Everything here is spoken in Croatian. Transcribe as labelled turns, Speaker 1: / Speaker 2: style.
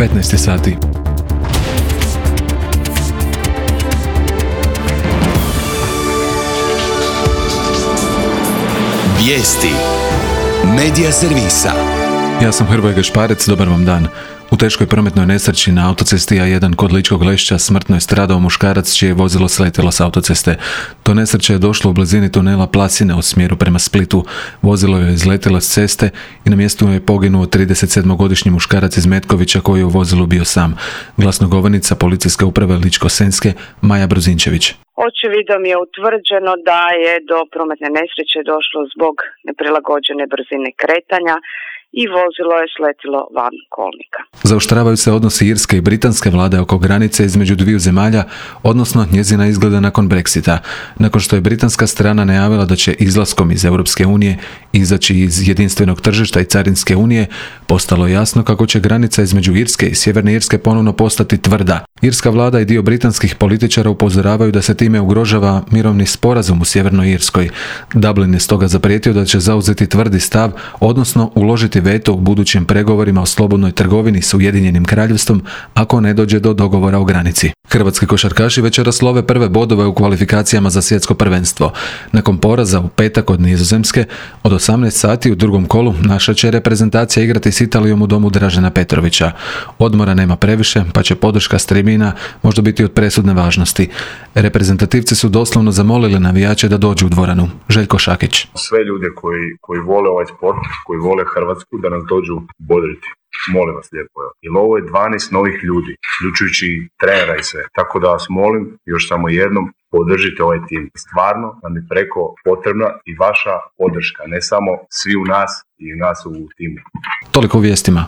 Speaker 1: 15 sati.
Speaker 2: Vijesti Medija servisa.
Speaker 1: Ja sam Hrvoje Gašparec, dobar vam dan. U teškoj prometnoj nesreći na autocesti A1 kod Ličkog Lešća smrtno je stradao muškarac čije je vozilo sletjelo s autoceste. Do nesreće je došlo u blizini tunela Plasine u smjeru prema Splitu. Vozilo je izletjelo s ceste i na mjestu je poginuo 37-godišnji muškarac iz Metkovića koji je u vozilu bio sam. Glasnogovornica Policijske uprave Ličko-senjske Maja Brozinčević.
Speaker 3: Očevidom je utvrđeno da je do prometne nesreće došlo zbog neprilagođene brzine kretanja i vozilo je sletilo van kolnika.
Speaker 1: Zaoštravaju se odnosi irske i britanske vlade oko granice između dviju zemalja, odnosno njezina izgleda nakon Brexita. Nakon što je britanska strana najavila da će izlaskom iz Europske unije izaći iz jedinstvenog tržišta i carinske unije, postalo je jasno kako će granica između Irske i Sjeverne Irske ponovno postati tvrda. Irska vlada i dio britanskih političara upozoravaju da se time ugrožava mirovni sporazum u Sjevernoj Irskoj. Dublin je stoga zaprijetio da će zauzeti tvrdi stav, odnosno uložiti veto u budućim pregovorima o slobodnoj trgovini s Ujedinjenim Kraljevstvom ako ne dođe do dogovora o granici. Hrvatski košarkaši večeras love prve bodove u kvalifikacijama za svjetsko prvenstvo. Nakon poraza u petak od Nizozemske, od 18 sati u drugom kolu naša će reprezentacija igrati s Italijom u domu Dražena Petrovića. Odmora nema previše, pa će podrška s tribina možda biti od presudne važnosti. Reprezentativci su doslovno zamolili navijače da dođu u dvoranu. Željko Šakić.
Speaker 4: Sve ljude koji vole ovaj sport, koji vole Hrvatsku, da nas dođu bodriti. Molim vas lijepo. Jer ovo je 12 novih ljudi, uključujući trenera i sve. Tako da vas molim, još samo jednom, podržite ovaj tim. Stvarno nam je preko potrebna i vaša podrška, ne samo svi u nas i nas u timu.
Speaker 1: Toliko u vijestima.